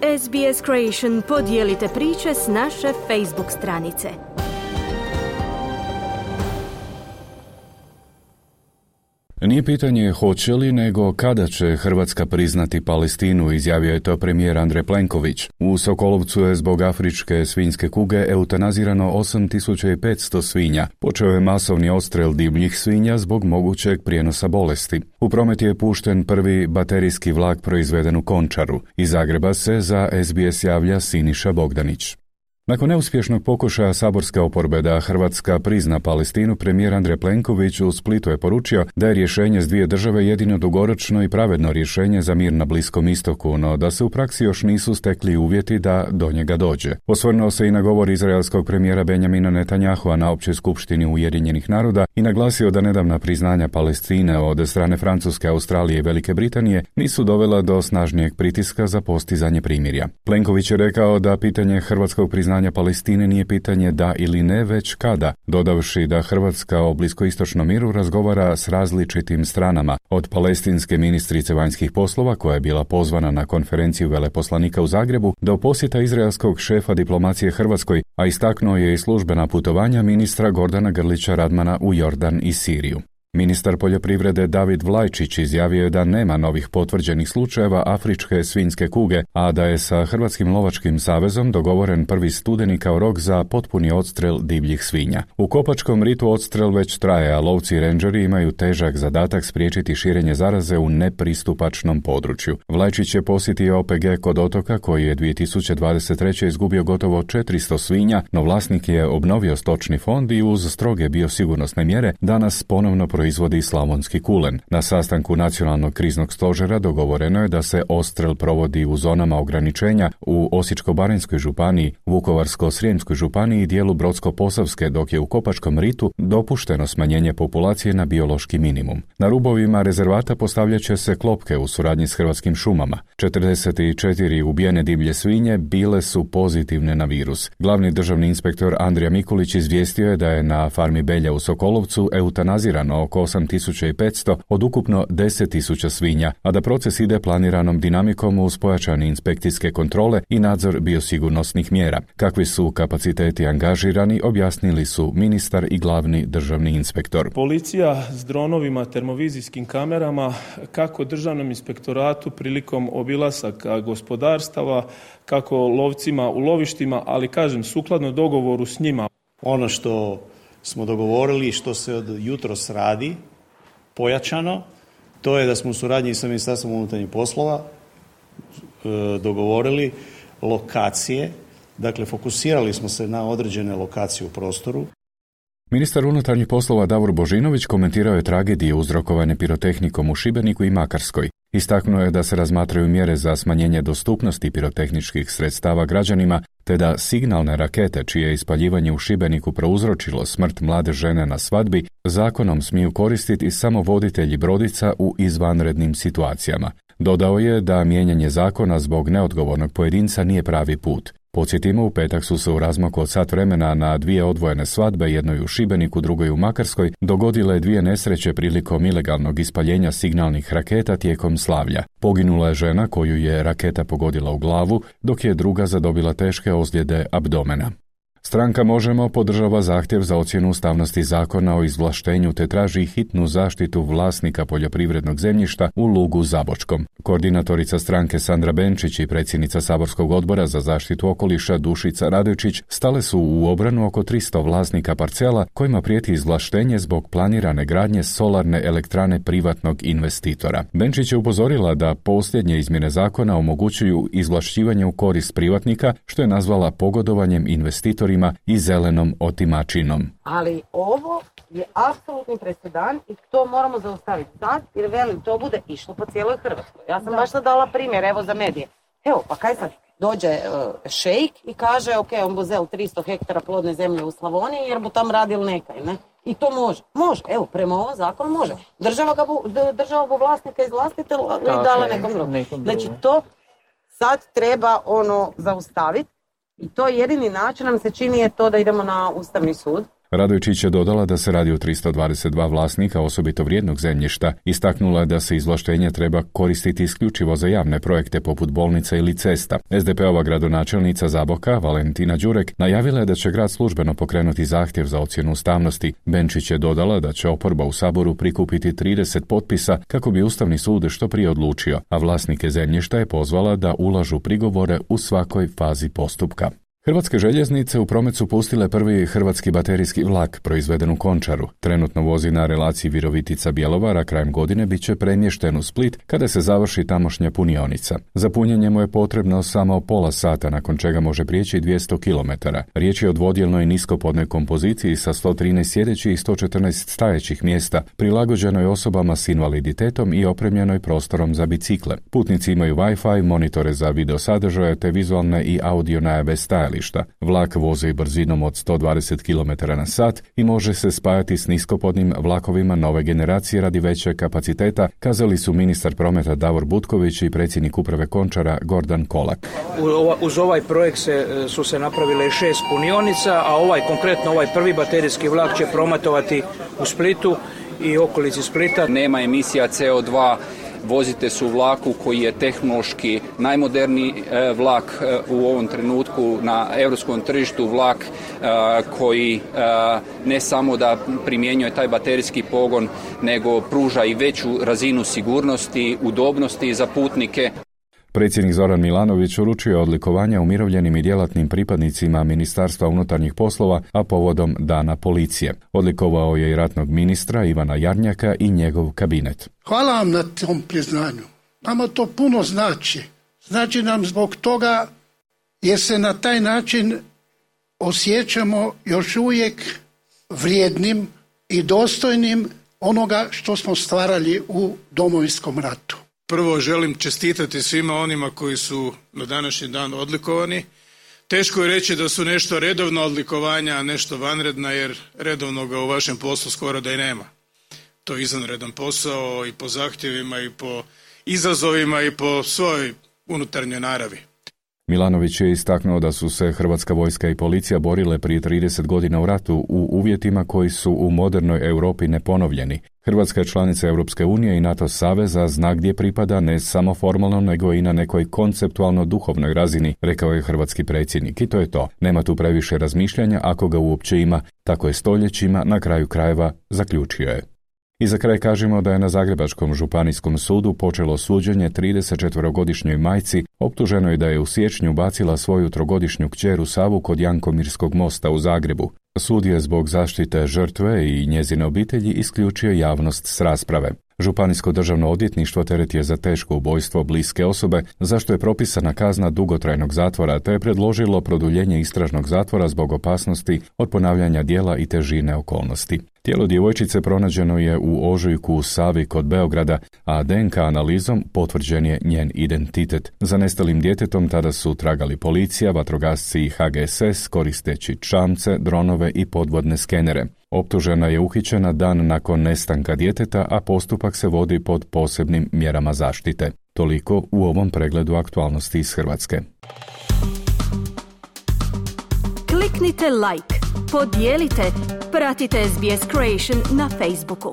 SBS Creation, podijelite priče s naše Facebook stranice. Nije pitanje hoće li, nego kada će Hrvatska priznati Palestinu, izjavio je to premijer Andrej Plenković. U Sokolovcu je zbog afričke svinjske kuge eutanazirano 8500 svinja. Počeo je masovni odstrel divljih svinja zbog mogućeg prijenosa bolesti. U promet je pušten prvi baterijski vlak proizveden u Končaru. Iz Zagreba se za SBS javlja Siniša Bogdanić. Nakon neuspješnog pokušaja saborske oporbe da Hrvatska prizna Palestinu, premijer Andrej Plenković u Splitu je poručio da je rješenje s dvije države jedino dugoročno i pravedno rješenje za mir na Bliskom istoku, no da se u praksi još nisu stekli uvjeti da do njega dođe. Osvrnuo se i na govor izraelskog premijera Benjamina Netanyahua na Općoj skupštini Ujedinjenih naroda i naglasio da nedavna priznanja Palestine od strane Francuske, Australije i Velike Britanije nisu dovela do snažnijeg pritiska za postizanje primirja. Plenković je rekao da pitanje hrvatskog priznanja Palestine nije pitanje da ili ne, već kada, dodavši da Hrvatska o bliskoistočnom miru razgovara s različitim stranama, od palestinske ministrice vanjskih poslova koja je bila pozvana na konferenciju veleposlanika u Zagrebu do posjeta izraelskog šefa diplomacije Hrvatskoj, a istaknuo je i službena putovanja ministra Gordana Grlića Radmana u Jordan i Siriju. Ministar poljoprivrede David Vlajčić izjavio je da nema novih potvrđenih slučajeva afričke svinjske kuge, a da je sa Hrvatskim lovačkim savezom dogovoren 1. studeni kao rok za potpuni odstrel divljih svinja. U Kopačkom ritu odstrel već traje, a lovci i rendžeri imaju težak zadatak spriječiti širenje zaraze u nepristupačnom području. Vlajčić je posjetio OPG kod otoka koji je 2023. izgubio gotovo 400 svinja, no vlasnik je obnovio stočni fond i uz stroge biosigurnosne mjere danas ponovno proizvodi slavonski kulen. Na sastanku Nacionalnog kriznog stožera dogovoreno je da se odstrel provodi u zonama ograničenja u Osječko-baranjskoj županiji, Vukovarsko-srijemskoj županiji i dijelu Brodsko-posavske, dok je u Kopačkom ritu dopušteno smanjenje populacije na biološki minimum. Na rubovima rezervata postavljat će se klopke u suradnji s Hrvatskim šumama. 44 ubijene divlje svinje bile su pozitivne na virus. Glavni državni inspektor Andrija Mikulić izvijestio je da je na farmi Belja u Sokolovcu eutanazirano oko 8500 od ukupno 10.000 svinja, a da proces ide planiranom dinamikom uz pojačane inspekcijske kontrole i nadzor biosigurnosnih mjera. Kakvi su kapaciteti angažirani, objasnili su ministar i glavni državni inspektor. Policija s dronovima, termovizijskim kamerama, kako državnom inspektoratu prilikom obilasaka gospodarstava, kako lovcima u lovištima, ali kažem sukladno dogovoru s njima. Ono što smo dogovorili, što se od jutros radi pojačano, to je da smo u suradnji sa Ministarstvom unutarnjih poslova dogovorili lokacije, dakle fokusirali smo se na određene lokacije u prostoru. Ministar unutarnjih poslova Davor Božinović komentirao je tragedije uzrokovane pirotehnikom u Šibeniku i Makarskoj. Istaknuo je da se razmatraju mjere za smanjenje dostupnosti pirotehničkih sredstava građanima, te da signalne rakete, čije ispaljivanje u Šibeniku prouzročilo smrt mlade žene na svadbi, zakonom smiju koristiti samo voditelji brodica u izvanrednim situacijama. Dodao je da mijenjanje zakona zbog neodgovornog pojedinca nije pravi put. Podsjetimo, u petak su se u razmaku od sat vremena na dvije odvojene svadbe, jednoj u Šibeniku, drugoj u Makarskoj, dogodile dvije nesreće prilikom ilegalnog ispaljenja signalnih raketa tijekom slavlja. Poginula je žena koju je raketa pogodila u glavu, dok je druga zadobila teške ozljede abdomena. Stranka Možemo podržava zahtjev za ocjenu ustavnosti zakona o izvlaštenju te traži hitnu zaštitu vlasnika poljoprivrednog zemljišta u Lugu Zabočkom. Koordinatorica stranke Sandra Benčić i predsjednica saborskog odbora za zaštitu okoliša Dušica Radojčić stale su u obranu oko 300 vlasnika parcela kojima prijeti izvlaštenje zbog planirane gradnje solarne elektrane privatnog investitora. Benčić je upozorila da posljednje izmjene zakona omogućuju izvlašćivanje u korist privatnika, što je nazvala pogodovanjem investitorima i zelenom otimačinom. Ali ovo je apsolutni presedan i to moramo zaustaviti sad, jer velim, to bude išlo po cijeloj Hrvatskoj. Ja sam baš sad dala primjer, evo za medije. Evo, pa kaj sad? Dođe šejk i kaže, ok, on bo zel 300 hektara plodne zemlje u Slavoniji jer bo tam radil nekaj, ne? I to može. Može, evo, prema ovom zakonu može. Država bo vlasnika izvlastiti i dala nekom drugom. Znači, to sad treba zaustaviti. I to jedini način nam se čini je to da idemo na Ustavni sud. Radojčić je dodala da se radi o 322 vlasnika osobito vrijednog zemljišta, istaknula da se izvlaštenje treba koristiti isključivo za javne projekte poput bolnica ili cesta. SDP-ova gradonačelnica Zaboka, Valentina Đurek, najavila je da će grad službeno pokrenuti zahtjev za ocjenu ustavnosti. Benčić je dodala da će oporba u Saboru prikupiti 30 potpisa kako bi Ustavni sud što prije odlučio, a vlasnike zemljišta je pozvala da ulažu prigovore u svakoj fazi postupka. Hrvatske željeznice u promet su pustile prvi hrvatski baterijski vlak proizveden u Končaru. Trenutno vozi na relaciji Virovitica-Bjelovar, a krajem godine bit će premješten u Split kada se završi tamošnja punionica. Za punjenje mu je potrebno samo pola sata, nakon čega može prijeći 200 km. Riječ je o dvodjelnoj niskopodnoj kompoziciji sa 113 sjedećih i 114 stajećih mjesta, prilagođenoj osobama s invaliditetom i opremljenoj prostorom za bicikle. Putnici imaju Wi-Fi, monitore za video sadržaje te vizualne i audio najave stajališta. Vlak vozi brzinom od 120 km na sat i može se spajati s niskopodnim vlakovima nove generacije radi većeg kapaciteta, kazali su ministar prometa Davor Butković i predsjednik uprave Končara Gordan Kolak. Uz ovaj projekt su se napravile 6 punionica, a konkretno ovaj prvi baterijski vlak će prometovati u Splitu i okolici Splita. Nema emisija CO2, vozite se u vlaku koji je tehnološki najmoderniji vlak u ovom trenutku na europskom tržištu, vlak koji ne samo da primjenjuje taj baterijski pogon, nego pruža i veću razinu sigurnosti, udobnosti za putnike. Predsjednik Zoran Milanović uručio odlikovanja umirovljenim i djelatnim pripadnicima Ministarstva unutarnjih poslova, a povodom Dana policije. Odlikovao je i ratnog ministra Ivana Jarnjaka i njegov kabinet. Hvala vam na tom priznanju. Nama to puno znači. Znači nam zbog toga jer se na taj način osjećamo još uvijek vrijednim i dostojnim onoga što smo stvarali u Domovinskom ratu. Prvo želim čestitati svima onima koji su na današnji dan odlikovani. Teško je reći da su nešto redovna odlikovanja, a nešto vanredna, jer redovnoga u vašem poslu skoro da i nema. To je izvanredan posao i po zahtjevima i po izazovima i po svojoj unutarnjoj naravi. Milanović je istaknuo da su se Hrvatska vojska i policija borile prije 30 godina u ratu u uvjetima koji su u modernoj Europi neponovljeni. Hrvatska je članica Europske unije i NATO saveza, zna gdje pripada ne samo formalno nego i na nekoj konceptualno duhovnoj razini, rekao je hrvatski predsjednik. I to je to. Nema tu previše razmišljanja ako ga uopće ima. Tako je stoljećima, na kraju krajeva, zaključio je. I za kraj kažemo da je na Zagrebačkom županijskom sudu počelo suđenje 34-godišnjoj majci, optuženoj da je u siječnju bacila svoju 3-godišnju kćer u Savu kod Jankomirskog mosta u Zagrebu. Sud je zbog zaštite žrtve i njezine obitelji isključio javnost s rasprave. Županijsko državno odvjetništvo teret je za teško ubojstvo bliske osobe, zašto je propisana kazna dugotrajnog zatvora, te je predložilo produljenje istražnog zatvora zbog opasnosti od ponavljanja djela i težine okolnosti. Tijelo djevojčice pronađeno je u ožujku u Savi kod Beograda, a DNK analizom potvrđen je njen identitet. Za nestalim djetetom tada su tragali policija, vatrogasci i HGSS koristeći čamce, dronove i podvodne skenere. Optužena je uhićena dan nakon nestanka djeteta, a postupak se vodi pod posebnim mjerama zaštite. Toliko u ovom pregledu aktualnosti iz Hrvatske. Kliknite like, podijelite, pratite SBS Creation na Facebooku.